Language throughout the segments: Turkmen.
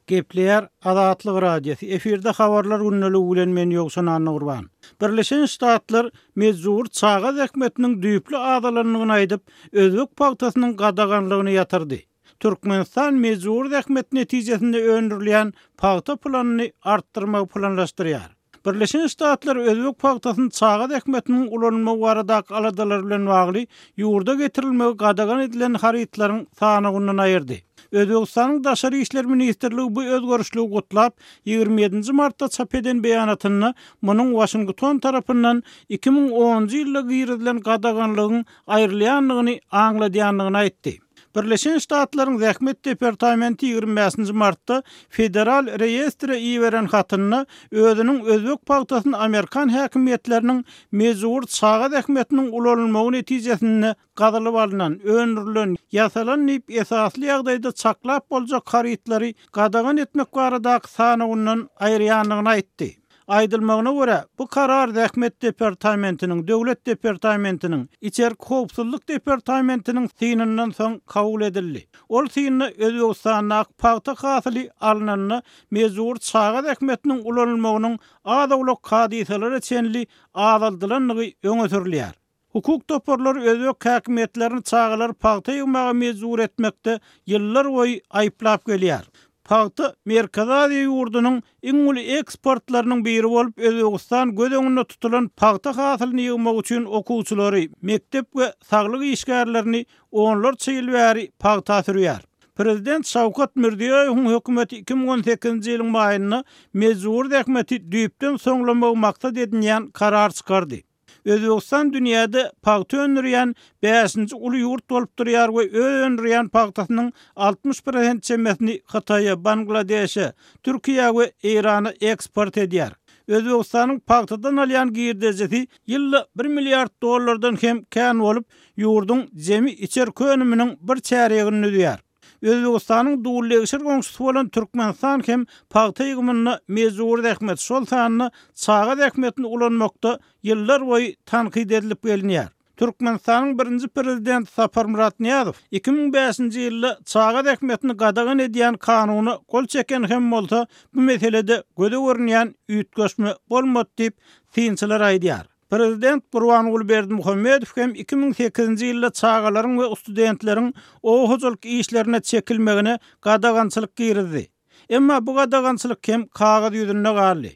Gepleýär Azatlyk Radiosy, efirde Habarlar gündeligi bilen men Ýowşan Annagurban. Birleşen Ştatlar mejbury çaga zähmetiniň düýpli azalandygyny aýdyp, özbek pagtasynyň gadaganlygyny ýatyrdy. Türkmenistan mejbury zähmet netijesinde öndürilýän pagta planyny artdyrmagy planlaşdyrýar. Birleşen Ştatlar özbek pagtasyny çaga zähmetiniň ulanylmagy baradaky aladalar bilen bagly ýurda getirilmegi gadagan edilen harytlaryň sanawyndan aýyrdy. Özbegistanyň Daşary işler ministrligi bu özgerişligi gutlap, 27-nji martda çap eden beýanatynda munuň Waşington tarapyndan 2010-njy ýylda girizilen gadaganlygyň aýrylýandygyny aňladýandygyny aýtdy. Birleşen Ştatlaryň Zähmet departamenti 25-nji martda Federal reýestre iberen hatynda özüniň özbek pagtasyny amerikan häkimiýetleriniň mejbury çaga zähmetiniň ulanylmagy netijesinde gazylyp alnan, öndürilen, ýasalan diýip esasly ýagdaýda çaklap boljak harytlary gadagan etmek baradaky sanawyndan aýyrýandygyny aýtdy. Aýdylmagyna görä, bu karar Zähmet departamentiniň, Döwlet departamentiniň, Içerki howpsuzlyk departamentiniň synyndan soň kabul edildi. Ol synda Özbegistandaky pagta hasyly alnanda mejbury çaga zähmetiniň ulanylmagynyň az-owlak hadysalara çenli azaldylandygy öňe sürülýär. Hukuk toparlary özbek häkimiýetlerini çagalary pagta ýygmaga mejbur etmekde ýyllar boýy aýyplap gelýär. Pagta Merkezi Aziýa ýurdunyň iň uly eksportlarynyň biri bolup, Özbegistan göz öňünde tutulan pagta hasylyny ýygmak üçin okuwçylary, mekdep we saglyk işgärlerini onlarça ýyl bäri pagta sürýär. Prezident Şawkat Mirziýoýewiň hökümeti 2018-nji ýylyň maýynda mejbury zähmeti düýpden soňlamagy maksat edinýän karar çykardy. Özbegistan dünýäde pagta öndürýän bäşinji uly ýurt bolup durýar we öz öndürýän pagtasynyň 60 prosent çemesini Hytaýa, Bangladeşe, Türkiýä we Eýrana eksport edýär. Özbegistanyň pagtadan alýan girdejisi ýylda bir milliard dollardan hem kän bolup, ýurduň jemi içerki önüminiň bir çärýegini düzýär. Özbegistanyň dullegşir goňşusy bolan Türkmenistan hem pagta ýygymynda mejbury zähmet, şol sanda çaga zähmetini ulanmakda ýyllarboýy tankyt edilip gelinýär. Türkmenistanyň birinji prezidenti Saparmyrat Nyýazow 2005-nji ýylda çaga zähmetini gadagan edýän kanuna gol çeken hem bolsa, bu meselede göze görünýän üýtgeşme bolmady diýip, synçylar aýdýar. Prezident Gurbanguly Berdimuhamedow hem 2008-nji ýylda çagalaryň we studentleriň oba hojalyk işlerine çekilmegine gadagançylyk girizdi. Emma bu gadagançylyk hem kagyz ýüzünde galdy.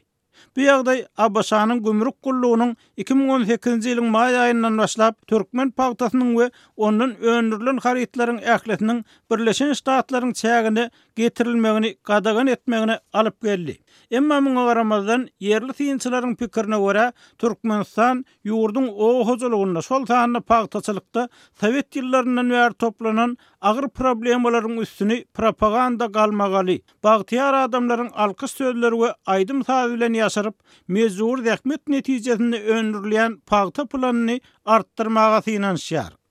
Bu ýagdaý ABŞ-nyň gümrük gullugynyň 2018-nji ýylyň maý aýyndan başlap türkmen pagtasynyň we ondan öndürilen harytlaryň ählisiniň Birleşen Ştatlaryň çägine getirilmegini gadagan etmegine alyp geldi. Emma muňa garamazdan, ýerli synçylaryň pikirine görä, Türkmenistan ýurduň oba hojalygynda, şol sanda pagtaçylykda sowet ýyllaryndan bäri toplanan agyr problemalaryň üstüni propaganda galmagaly, bagtyýar adamlaryň alkyş sözleri we aýdym-saz bilen ýaşyryp, mejbury zähmet netijesinde öndürilýän pagta planyny artdyrmaga synanyşýar.